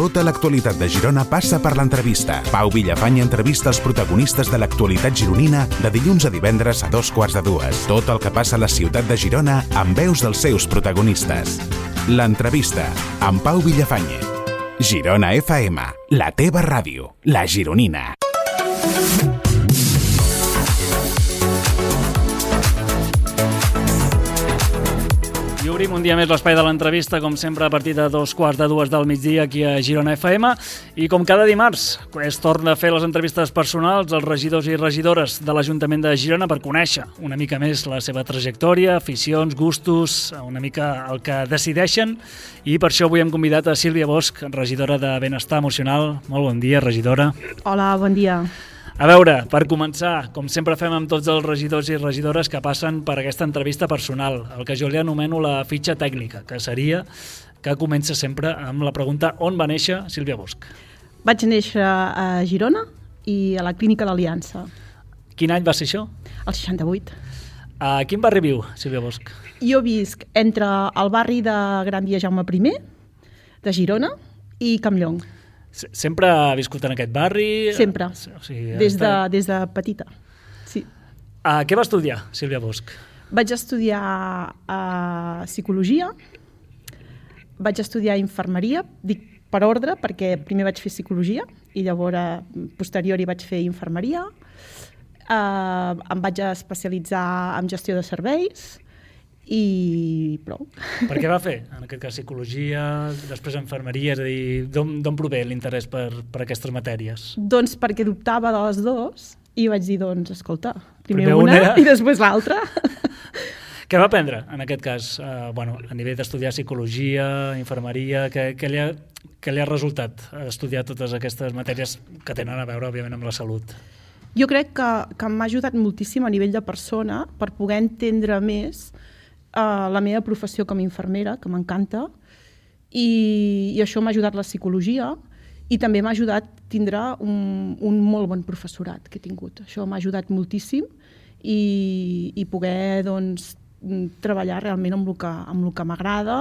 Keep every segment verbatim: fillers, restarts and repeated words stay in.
Tota l'actualitat de Girona passa per l'entrevista. Pau Villafany entrevista els protagonistes de l'actualitat gironina de dilluns a divendres a dos quarts de dues. Tot el que passa a la ciutat de Girona amb veus dels seus protagonistes. L'entrevista amb Pau Villafany. Girona F M, la teva ràdio, la gironina. I obrim un dia més l'espai de l'entrevista, com sempre, a partir de dos quarts de dues del migdia aquí a Girona F M. I com cada dimarts, es torna a fer les entrevistes personals als regidors i regidores de l'Ajuntament de Girona per conèixer una mica més la seva trajectòria, aficions, gustos, una mica el que decideixen. I per això avui hem convidat a Sílvia Bosch, regidora de Benestar Emocional. Molt bon dia, regidora. Hola, bon dia. A veure, per començar, com sempre fem amb tots els regidors i regidores que passen per aquesta entrevista personal, el que jo li anomeno la fitxa tècnica, que seria que comença sempre amb la pregunta on va néixer Sílvia Bosch. Vaig néixer a Girona i a la Clínica d'Aliança. Quin any va ser això? El seixanta-vuit. A quin barri viu, Sílvia Bosch? Jo visc entre el barri de Gran Via Jaume primer, de Girona, i Campllong. Sempre ha viscut en aquest barri? Sempre, o sigui, des, de, des de petita. Sí. Uh, què va estudiar, Sílvia Bosch? Vaig estudiar uh, psicologia, vaig estudiar infermeria, dic per ordre, perquè primer vaig fer psicologia i llavors, posterior, hi vaig fer infermeria. Uh, em vaig especialitzar en gestió de serveis, i prou. Per què va fer? En aquest cas psicologia, després infermeria, és a dir, d'on prové l'interès per, per aquestes matèries? Doncs perquè dubtava de les dues i vaig dir, doncs, escolta, primer, primer una, una i després l'altra. Què va aprendre en aquest cas? Uh, bueno, a nivell d'estudiar psicologia, infermeria, què, què, li ha, què li ha resultat estudiar totes aquestes matèries que tenen a veure, òbviament, amb la salut? Jo crec que, que m'ha ajudat moltíssim a nivell de persona per poder entendre més Uh, la meva professió com a infermera, que m'encanta, i, i això m'ha ajudat la psicologia i també m'ha ajudat a tindre un, un molt bon professorat que he tingut. Això m'ha ajudat moltíssim i, i poder doncs, treballar realment amb el que, amb el que m'agrada.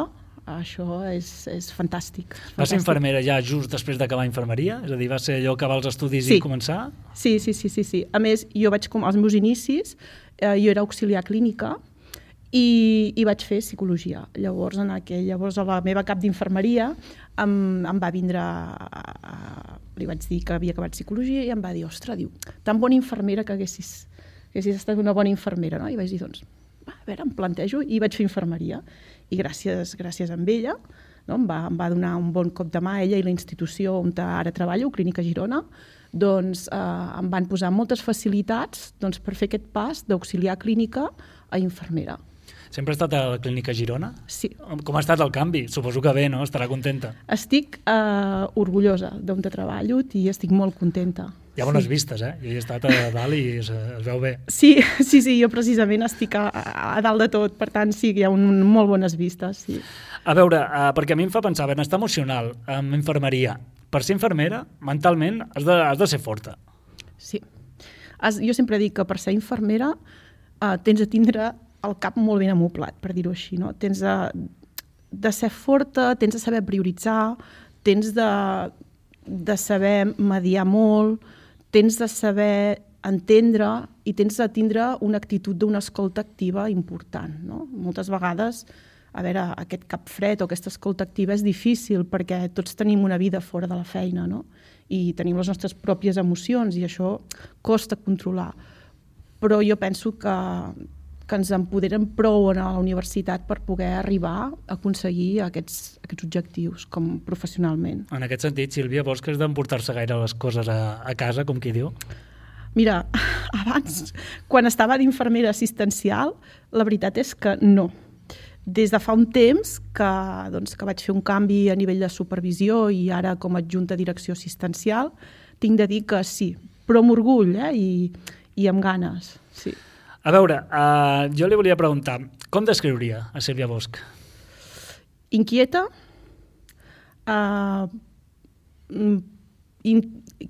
Això és, és fantàstic. Va ser infermera ja just després d'acabar infermeria? És a dir, va ser allò acabar els estudis sí. i començar? Sí, sí, sí, sí, sí. A més, jo vaig, com als meus inicis, eh, jo era auxiliar clínica, I, i vaig fer psicologia. Llavors, en aquell, llavors a la meva cap d'infermeria em, em va vindre, a, a, li vaig dir que havia acabat psicologia i em va dir, ostres, diu, tan bona infermera que haguessis, haguessis estat una bona infermera, no? I vaig dir, doncs, a veure, em plantejo, i vaig fer infermeria. I gràcies, gràcies a ella, no? em, va, em va donar un bon cop de mà, ella i la institució on ara treballo, Clínica Girona, doncs eh, em van posar moltes facilitats doncs, per fer aquest pas d'auxiliar clínica a infermera. Sempre ha estat a la Clínica Girona? Sí. Com ha estat el canvi? Suposo que bé, no? Estarà contenta. Estic eh, orgullosa d'on treballo i estic molt contenta. Hi ha bones sí. vistes, eh? Jo hi he estat a dalt i es, es veu bé. Sí, sí, sí, jo precisament estic a, a dalt de tot, per tant sí, hi ha un, molt bones vistes. Sí. A veure, uh, perquè a mi em fa pensar, benestar emocional, amb infermeria. Per ser infermera, mentalment, has de, has de ser forta. Sí. Has, jo sempre dic que per ser infermera uh, tens de tindre el cap molt ben amoblat, per dir-ho així, no? Tens de, de ser forta, tens de saber prioritzar, tens de, de saber mediar molt, tens de saber entendre i tens de tindre una actitud d'una escolta activa important, no? Moltes vegades, a veure, aquest cap fred o aquesta escolta activa és difícil perquè tots tenim una vida fora de la feina, no? I tenim les nostres pròpies emocions i això costa controlar. Però jo penso que que ens empoderen prou a la universitat per poder arribar a aconseguir aquests, aquests objectius com professionalment. En aquest sentit, Sílvia, vols que has d'emportar-se gaire les coses a, a casa, com qui diu? Mira, abans, quan estava d'infermera assistencial, la veritat és que no. Des de fa un temps que, doncs, que vaig fer un canvi a nivell de supervisió i ara com a adjunta de direcció assistencial, tinc de dir que sí, però amb orgull eh? I, i amb ganes, sí. A veure, uh, jo li volia preguntar, com descriuria a Sílvia Bosch? Inquieta, uh, in,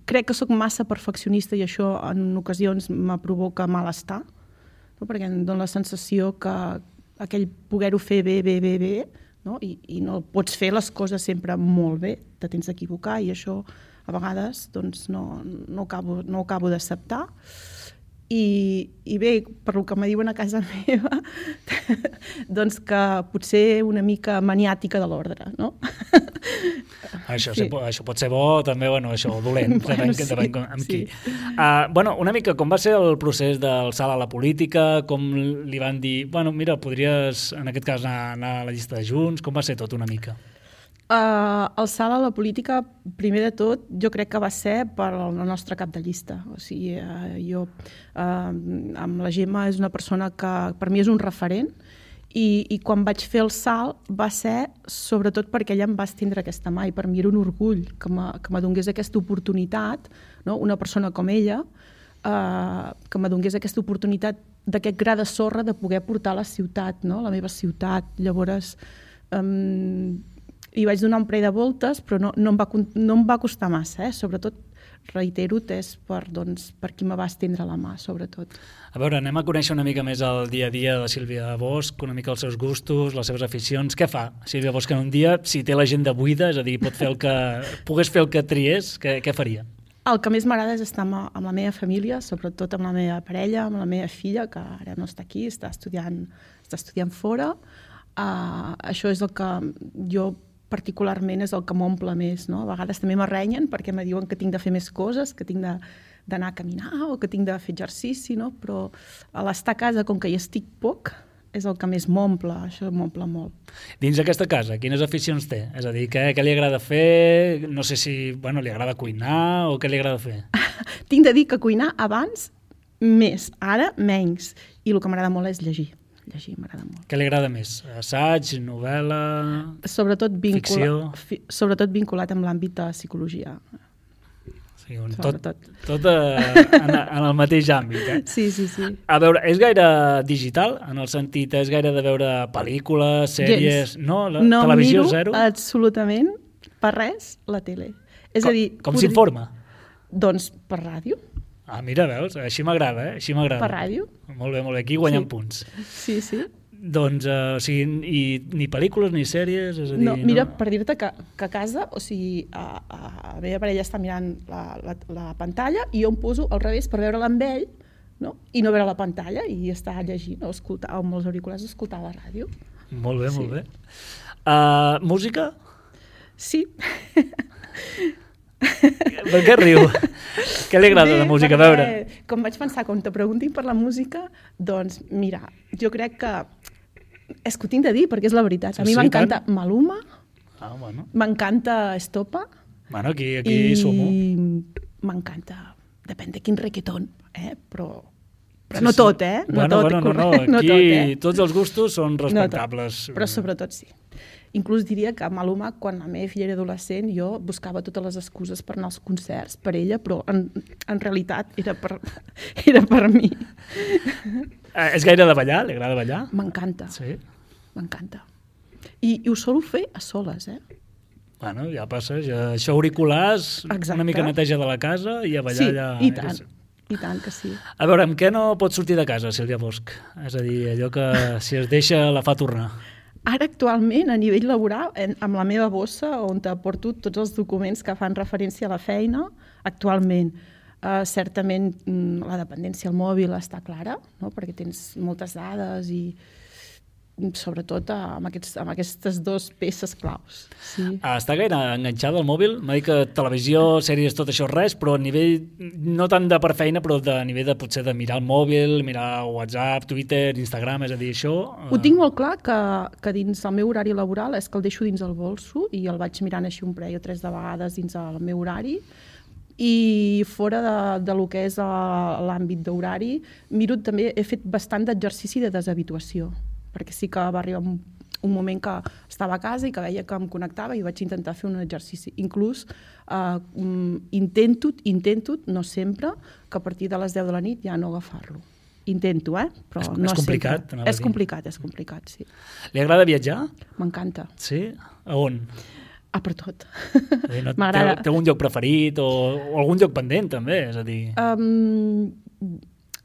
crec que sóc massa perfeccionista i això en ocasions me provoca malestar, no? Perquè em dóna la sensació que aquell poder-ho fer bé, bé, bé, bé, no? I, i no pots fer les coses sempre molt bé, te tens d'equivocar i això a vegades doncs, no, no acabo, no acabo d'acceptar. I, I bé, per lo que me diuen a casa meva, doncs que potser una mica maniàtica de l'ordre, no? Això, sí. Això pot ser bo, també, bueno, això, dolent, bueno, depèn, sí, depèn amb sí. qui. Uh, bueno, una mica, com va ser el procés del salt a la política? Com li van dir, bueno, mira, podries, en aquest cas, anar, anar a la llista de Junts? Com va ser tot una mica? Uh, el salt a la política, primer de tot, jo crec que va ser per el nostre cap de llista. O sigui, uh, jo, uh, amb la Gemma és una persona que per mi és un referent i, i quan vaig fer el salt va ser sobretot perquè ella em va estendre aquesta mà i per mi era un orgull que me donés aquesta oportunitat, no? Una persona com ella, uh, que me donés aquesta oportunitat d'aquest gra de sorra de poder portar la ciutat, no? La meva ciutat. Llavors, um, hi vaig donar un parell de voltes, però no, no, em va, no em va costar massa, eh? Sobretot, reitero, és per, doncs, per qui me va estendre la mà, sobretot. A veure, anem a conèixer una mica més el dia a dia de Sílvia Bosch, una mica els seus gustos, les seves aficions. Què fa Sílvia Bosch en un dia? Si té l'agenda buida, és a dir, pot fer el que, pogués fer el que triés, què, què faria? El que més m'agrada és estar amb, amb la meva família, sobretot amb la meva parella, amb la meva filla, que ara no està aquí, està estudiant, està estudiant fora. Uh, això és el que jo particularment és el que m'omple més, no? A vegades també m'arrenyen perquè me diuen que tinc de fer més coses, que tinc d'anar a caminar o que tinc de fer exercici, no? Però a l'estar a casa, com que hi estic poc, és el que més m'omple, això m'omple molt. Dins d'aquesta casa, quines aficions té? És a dir, què, què li agrada fer? No sé si, bueno, li agrada cuinar o què li agrada fer? Tinc de dir que cuinar abans més, ara menys. I el que m'agrada molt és llegir. Llegir m'agrada molt. Què li agrada més? Assaig, novel·la, sobretot vincula, ficció? Fi, sobretot vinculat amb l'àmbit de psicologia. Sí, un, tot tot uh, en, en el mateix àmbit. Eh? Sí, sí, sí. A veure, és gaire digital? En el sentit, és gaire de veure pel·lícules, sèries... Gens. No, la no televisió miro zero? absolutament per res la tele. És com a dir, com podria... s'informa? Doncs per ràdio. Ah, mira, veus? Així m'agrada, eh? Així m'agrada. Per ràdio. Molt bé, molt bé. Aquí guanyem sí. punts. Sí, sí. Doncs, uh, o sigui, i, ni pel·lícules ni sèries? És a dir, no, mira, no... per dir-te que, que a casa, o sigui, a, a, a la meva parella està mirant la, la, la pantalla i jo em poso al revés per veure-la amb ell, no? I no veure la pantalla i estar llegint o escoltar, amb els auriculars escoltar la ràdio. Molt bé, sí. molt bé. Uh, música? Sí. Per què riu? Què li agrada Bé, la música? A perquè, veure. Com vaig pensar, quan te preguntin per la música, doncs mira, jo crec que és que ho tinc de dir perquè és la veritat. A mi sí, m'encanta tant. Maluma, ah, bueno. M'encanta Estopa. Bueno, aquí, aquí i sumo. M'encanta, depèn de quin reggaeton, eh? però, però sí, no tot, eh? No bueno, tot, bueno, no, no, aquí no tot, eh? tots els gustos són respectables. No, però sobretot sí. Inclús diria que Maluma, quan la meva filla era adolescent, jo buscava totes les excuses per anar als concerts per ella, però en, en realitat era per, era per mi. Eh, és gaire de ballar? Li agrada ballar? M'encanta. Sí? M'encanta. I, I ho solo fer a soles, eh? Bueno, ja passa, ja, això auriculars, exacte. Una mica neteja de la casa i a ballar sí, allà. Sí, i tant. I tant que sí. A veure, amb què no pots sortir de casa, Sílvia Bosch? És a dir, allò que si es deixa la fa tornar. Ara, actualment, a nivell laboral, amb la meva bossa, on porto tots els documents que fan referència a la feina, actualment, eh, certament la dependència al mòbil està clara, no? Perquè tens moltes dades i sobretot amb, aquests, amb aquestes dues peces claus. Sí. Està gaire enganxada al mòbil? M'ha dit que televisió, sèries, tot això res, però a nivell, no tant de per feina, però a nivell de potser de mirar el mòbil, mirar WhatsApp, Twitter, Instagram, és a dir, això... Ho tinc molt clar que, que dins el meu horari laboral és que el deixo dins el bolso i el vaig mirant així un parell o tres de vegades dins el meu horari i fora de, de lo que és l'àmbit d'horari, miro també, he fet bastant d'exercici de deshabituació, perquè sí que va arribar un, un moment que estava a casa i que veia que em connectava i vaig intentar fer un exercici. Inclús eh, intento, intento, no sempre, que a partir de les deu de la nit ja no agafar-lo. Intento, eh? Però és, no és complicat. És complicat, és complicat, sí. Li agrada viatjar? M'encanta. Sí? A on? Ah, per tot. No, té, té un lloc preferit o, o algun lloc pendent, també? És a dir... Um,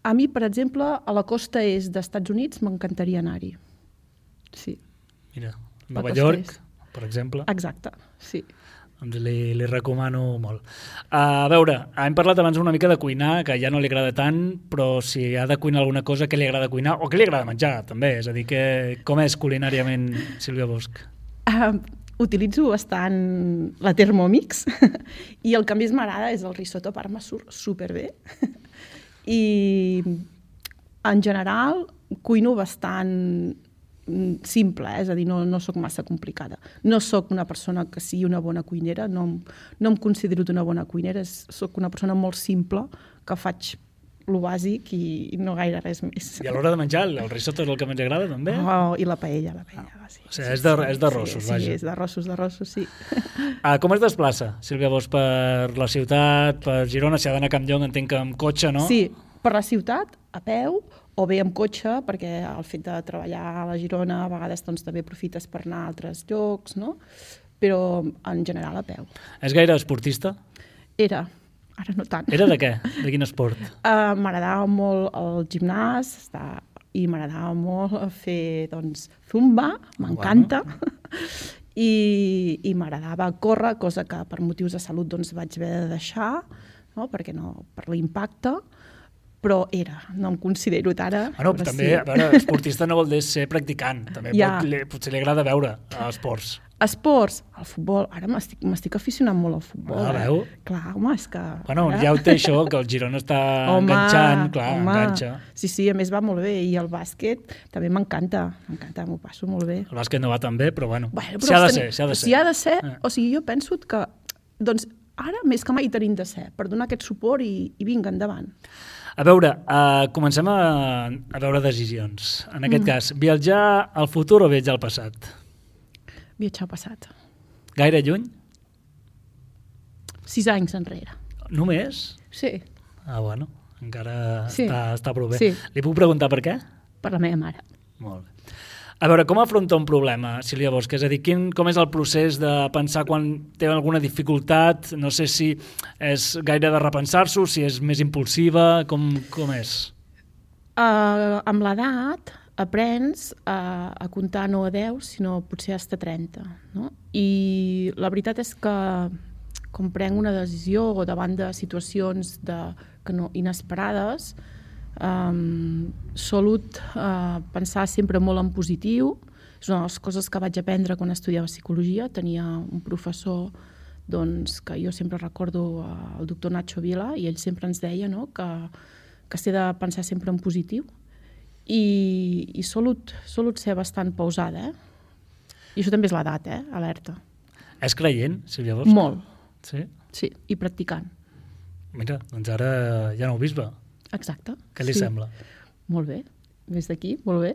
a mi, per exemple, a la costa est dels Estats Units m'encantaria anar-hi. Sí. Mira, Nova Pacos York, tres. per exemple. Exacte, sí. Doncs li, li recomano molt. A veure, hem parlat abans una mica de cuinar, que ja no li agrada tant, però si ha de cuinar alguna cosa, què li agrada cuinar? O què li agrada menjar, també? És a dir, que, com és culinàriament Sílvia Bosch? Uh, utilitzo bastant la Thermomix i el que més m'agrada és el risotto parma, surt superbé. I en general cuino bastant simple, eh? És a dir, no, no sóc massa complicada. No sóc una persona que sigui una bona cuinera, no, no em considero una bona cuinera, sóc una persona molt simple, que faig lo bàsic i no gaire res més. I a l'hora de menjar, el risotto és el que més agrada, també? Oh, i la paella, la paella. Ah. Sí, o sigui, és de, és de rossos, sí, vaja. Sí, és de rossos, de rossos, sí. Ah, com es desplaça, Sílvia Bosch, per la ciutat, per Girona? Si ha d'anar a Campllong, entenc que amb cotxe, no? Sí, per la ciutat, a peu, o bé amb cotxe, perquè el fet de treballar a la Girona a vegades doncs, també aprofites per anar a altres llocs, no? Però en general a peu. És gaire esportista? Era, ara no tant. Era de què? De quin esport? Uh, m'agradava molt el gimnàs està, i m'agradava molt fer doncs, zumba, m'encanta, bueno. I, i m'agradava córrer, cosa que per motius de salut doncs, vaig haver de deixar, no? Perquè no, per l'impacte, però era, no em considero ara. Bueno, també, sí. A veure, esportista no vol dir ser practicant, també ja. pot, li, potser li agrada veure esports. Esports, el futbol, ara m'estic aficionant molt al futbol. Ah, veu? Eh? Clar, home, és que... Bueno, ara... ja ho té això, que el Girona està home, enganxant, clar, home. enganxa. Sí, sí, a més va molt bé, i el bàsquet també m'encanta, m'encanta, m'ho passo molt bé. El bàsquet no va tan bé, però bueno, bueno s'hi ha de ser, s'hi ha de ser. S'hi ha de ser, eh. O sigui, jo penso que, doncs, ara més que mai tenim de ser, per donar aquest suport i, i vinga, endavant. A veure, uh, comencem a, a veure decisions. En aquest mm. cas, viatjar al futur o viatjar al passat? Viatjar al passat. Gaire lluny? Sis anys enrere. Només? Sí. Ah, bueno, encara sí. està, està prou bé. Sí. Li puc preguntar per què? Per la meva mare. Molt bé. A veure, com afronta un problema, Sílvia Bosch? És a dir, quin, com és el procés de pensar quan té alguna dificultat? No sé si és gaire de repensar-s'ho, si és més impulsiva, com, com és? Uh, amb l'edat aprens a, a comptar no a deu, sinó potser fins a trenta. No? I la veritat és que quan prenc una decisió o davant de situacions de, que no, inesperades, Um, solut uh, pensar sempre molt en positiu. És una de les coses que vaig aprendre quan estudiava psicologia. Tenia un professor doncs, que jo sempre recordo, uh, el doctor Nacho Vila, i ell sempre ens deia, no?, que, que s'ha de pensar sempre en positiu i, i solut, solut ser bastant pausada, eh? I això també és l'edat, eh? Alerta. És creient, Sílvia Bosch? Molt. Sí? Sí, i practicant. Mira, doncs ara ja no ho bisbe. Exacte. Què li sí. sembla? Molt bé. Des d'aquí, molt bé.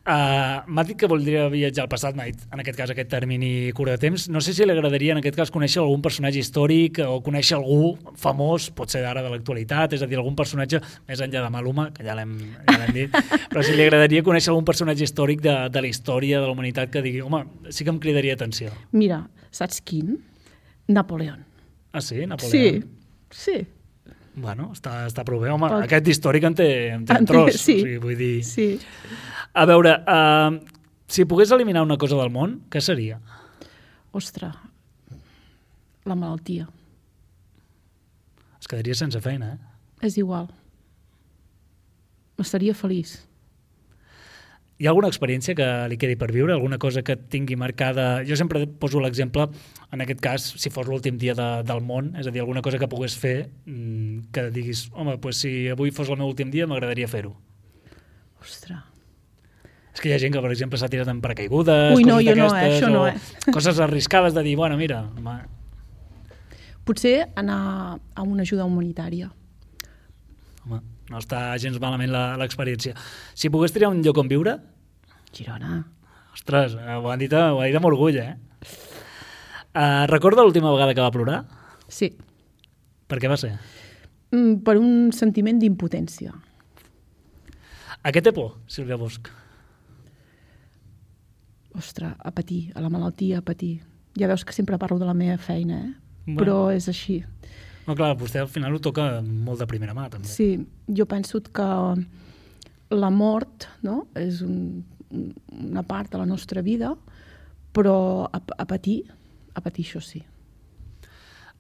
uh, M'ha dit que voldria viatjar al passat, m'ha dit, en aquest cas, aquest termini curt de temps. No sé si li agradaria, en aquest cas, conèixer algun personatge històric o conèixer algú famós, pot ser d'ara de l'actualitat, és a dir, algun personatge, més enllà de Maluma, que ja l'hem ja dit, però si li agradaria conèixer algun personatge històric de, de la història de la humanitat que digui, home, sí que em cridaria atenció. Mira, saps quin? Napoleón. Ah, sí? Napoleón? Sí, sí. Bueno, està, està prou bé. Home, Pot... aquest històric en té, en té un tros. Sí, o sigui, vull dir... sí. A veure, uh, si pogués eliminar una cosa del món, què seria? Ostres, la malaltia. Es quedaria sense feina, eh? És igual. Estaria feliç. Hi ha alguna experiència que li quedi per viure? Alguna cosa que tingui marcada? Jo sempre poso l'exemple, en aquest cas, si fos l'últim dia de, del món, és a dir, alguna cosa que pogués fer que diguis, home, pues, si avui fos el meu últim dia m'agradaria fer-ho. Ostres. És que hi ha gent que, per exemple, s'ha tirat en paracaigudes, Ui, no, coses jo no, d'aquestes, eh? Això no, eh? Coses arriscades de dir, bueno, mira... Ma... Potser anar a una ajuda humanitària. Home, no està gens malament l'experiència. Si pogués triar un lloc on viure... Girona. Ostres, ho han dit, ho ha dit amb orgull, eh? Uh, recorda l'última vegada que va plorar? Sí. Per què va ser? Mm, per un sentiment d'impotència. A què té por, Sílvia Bosch? Ostres, a patir, a la malaltia, a patir. Ja veus que sempre parlo de la meva feina, eh? Bueno. Però és així. No, clar, vostè al final ho toca molt de primera mà, també. Sí, jo penso que la mort, no?, és un, una part de la nostra vida però a, a patir, a patir això sí.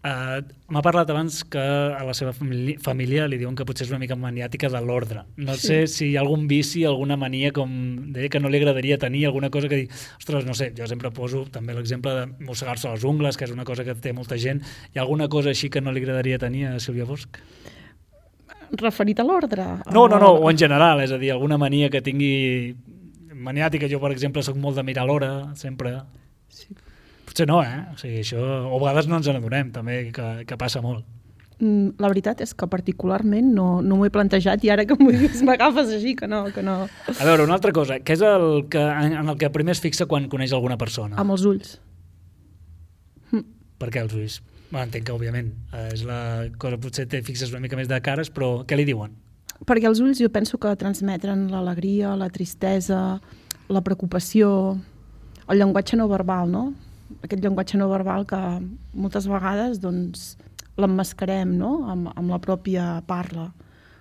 Uh, M'ha parlat abans que a la seva família, família li diuen que potser és una mica maniàtica de l'ordre. No sí. sé si hi ha algun vici, alguna mania, com deia, que no li agradaria tenir, alguna cosa que dir, ostres, no sé, jo sempre poso també l'exemple de mossegar-se les ungles, que és una cosa que té molta gent. Hi ha alguna cosa així que no li agradaria tenir a Sílvia Bosch? Referit a l'ordre? No, no, no, o en general, és a dir, alguna mania que tingui maniàtica. Jo, per exemple, soc molt de mirar l'hora, sempre... Sí. Potser no, eh? O sigui, això, o a vegades no ens n'adonem, també, que, que passa molt. La veritat és que particularment no, no m'ho he plantejat i ara que m'ho dius m'agafes així, que no, que no... A veure, una altra cosa, què és el que, en el que primer es fixa quan coneix alguna persona? Amb els ulls. Hm. Per què els ulls? Bueno, entenc que, òbviament, és la cosa, potser te fixes una mica més de cares, però què li diuen? Perquè els ulls jo penso que transmetren l'alegria, la tristesa, la preocupació, el llenguatge no verbal, no? Aquest llenguatge no verbal que moltes vegades doncs, l'emmascarem, no? amb, amb la pròpia parla,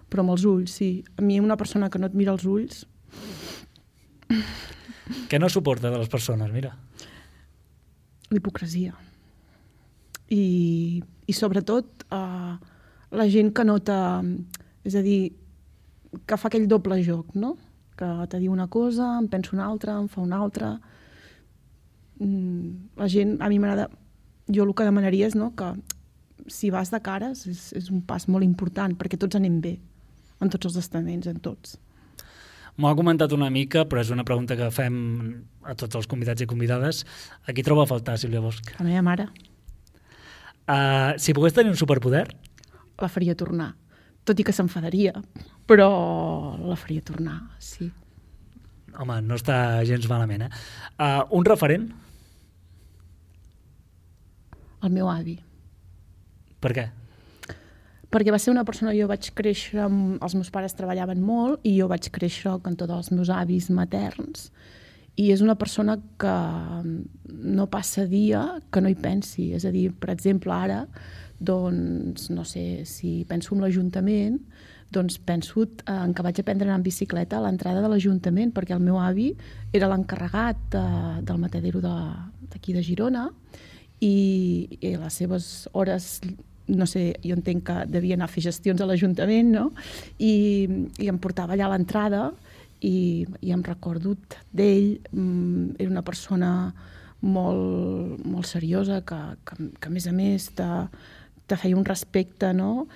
però amb els ulls, sí. A mi una persona que no et mira els ulls... Què no suporta de les persones, mira? L'hipocresia. I, i sobretot eh, la gent que nota... És a dir, que fa aquell doble joc, no? Que te diu una cosa, em penso una altra, em fa una altra... La gent, a mi m'agrada, jo el que demanaria és, no, que si vas de cares és, és un pas molt important perquè tots anem bé, en tots els estaments, en tots. M'ho ha comentat una mica, però és una pregunta que fem a tots els convidats i convidades. A qui troba a faltar, Sílvia Bosch? A la meva mare. Uh, si pogués tenir un superpoder? La faria tornar, tot i que s'enfadaria, però la faria tornar, sí. Home, no està gens malament, eh? Uh, un referent? El meu avi. Per què? Perquè va ser una persona, jo vaig créixer, amb, els meus pares treballaven molt i jo vaig créixer al cantó dels meus avis materns i és una persona que no passa dia que no hi pensi. És a dir, per exemple, ara, doncs, no sé, si penso en l'Ajuntament, doncs penso en que vaig aprendre a anar en bicicleta a l'entrada de l'Ajuntament perquè el meu avi era l'encarregat de, del matadero d'aquí de, de Girona i, i les seves hores, no sé, jo entenc que devia anar a fer gestions a l'Ajuntament, no? I, i em portava allà a l'entrada i, i em recordo d'ell, era una persona molt, molt seriosa que, que, que a més a més te, te feia un respecte, no?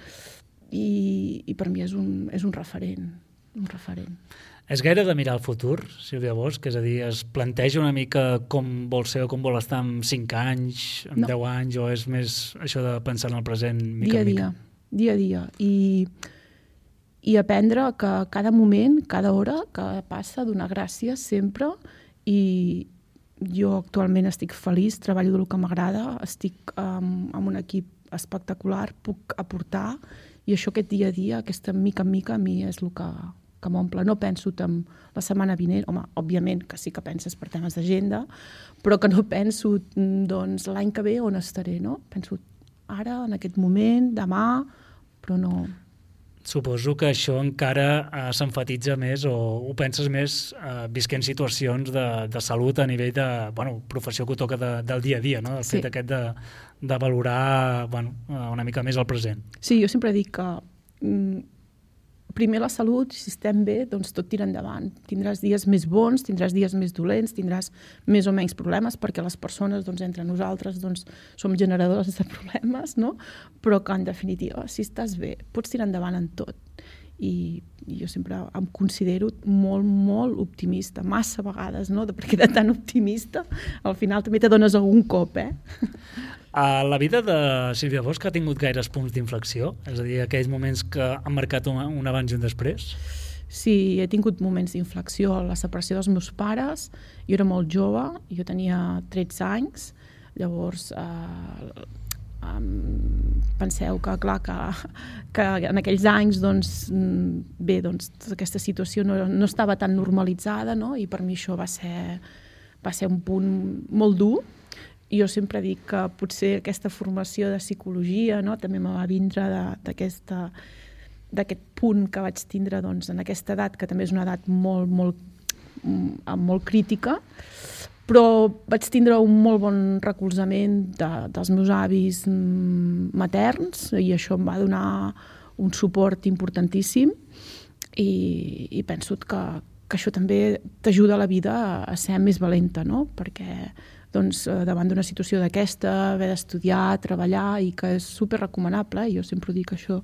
I, i per mi és un, és un referent, un referent. És gaire de mirar el futur, Sílvia Bosch? És a dir, es planteja una mica com vol ser o com vol estar en cinc anys, en no. deu anys, o és més això de pensar en el present mica dia en mica? Dia a dia, dia a dia. I, i aprendre que cada moment, cada hora que passa, donar gràcies sempre. I jo actualment estic feliç, treballo del que m'agrada, estic um, amb un equip espectacular, puc aportar, i això aquest dia a dia, aquesta mica en mica, a mi és el que, que m'omple. No penso en la setmana vinent, home, òbviament que sí que penses per temes d'agenda, però que no penso doncs, l'any que ve on estaré, no? Penso ara, en aquest moment, demà, però no... Suposo que això encara eh, s'enfatitza més o ho penses més eh, visquent situacions de, de salut a nivell de bueno, professió que toca de, del dia a dia, no? El sí. fet aquest de, de valorar bueno, una mica més el present. Sí, jo sempre dic que mm, primer la salut, si estem bé, doncs tot tira endavant. Tindràs dies més bons, tindràs dies més dolents, tindràs més o menys problemes, perquè les persones, doncs, entre nosaltres, doncs, som generadors de problemes, no? Però que, en definitiva, si estàs bé, pots tirar endavant en tot. I, i jo sempre em considero molt, molt optimista, massa vegades, no? Perquè de tan optimista, al final també te dones algun cop, eh? Uh, la vida de Sílvia Bosch ha tingut gaires punts d'inflexió? És a dir, aquells moments que han marcat un, un abans i un després? Sí, he tingut moments d'inflexió. La separació dels meus pares, jo era molt jove, jo tenia tretze anys, llavors eh, um, penseu que, clar, que, que en aquells anys, doncs, bé, doncs, tota aquesta situació no, no estava tan normalitzada, no? I per mi això va ser, va ser un punt molt dur. Jo sempre dic que potser aquesta formació de psicologia, no, també me va vindre d'aquest punt que vaig tindre doncs, en aquesta edat, que també és una edat molt, molt, molt crítica, però vaig tindre un molt bon recolzament de, dels meus avis materns i això em va donar un suport importantíssim i, i penso que, que això també t'ajuda a la vida a, a ser més valenta, no? Perquè doncs, davant d'una situació d'aquesta, haver d'estudiar, treballar, i que és super recomanable, i jo sempre dic que això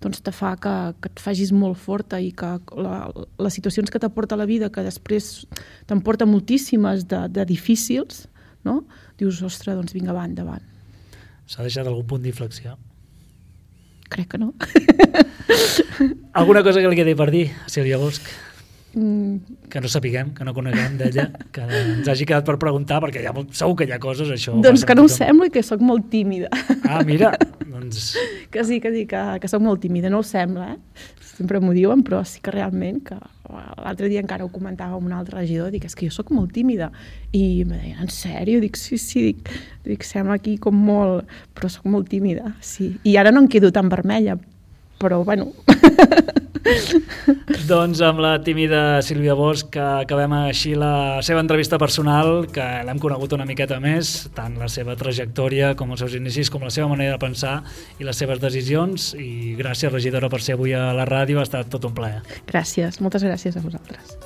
doncs, te fa que, que et facis molt forta i que la, les situacions que t'aporta la vida, que després te'n porta moltíssimes de, de difícils, no? Dius, ostres, doncs vinga, va, endavant. S'ha deixat algun punt d'inflexió? Crec que no. Alguna cosa que li quedi per dir a Sílvia Bosch? Mm. Que no sapiguem, que no coneguem d'ella, que ens hagi quedat per preguntar, perquè ja, segur que hi ha coses, això... Doncs que no ho sembla, que sóc molt tímida. Ah, mira, doncs... Que sí, que sí, que, que sóc molt tímida, no ho sembla, eh? Sempre m'ho diuen, però sí que realment, que l'altre dia encara ho comentava amb un altre regidor, dic, és que jo sóc molt tímida. I em deien, en sèrio? Dic, sí, sí, dic, dic, sembla aquí com molt... Però sóc molt tímida, sí. I ara no em quedo tan vermella, però, bueno... Doncs amb la tímida Sílvia Bosch que acabem així la seva entrevista personal, que l'hem conegut una miqueta més, tant la seva trajectòria com els seus inicis, com la seva manera de pensar i les seves decisions. I gràcies, regidora, per ser avui a la ràdio, ha estat tot un plaer. Gràcies, moltes gràcies a vosaltres.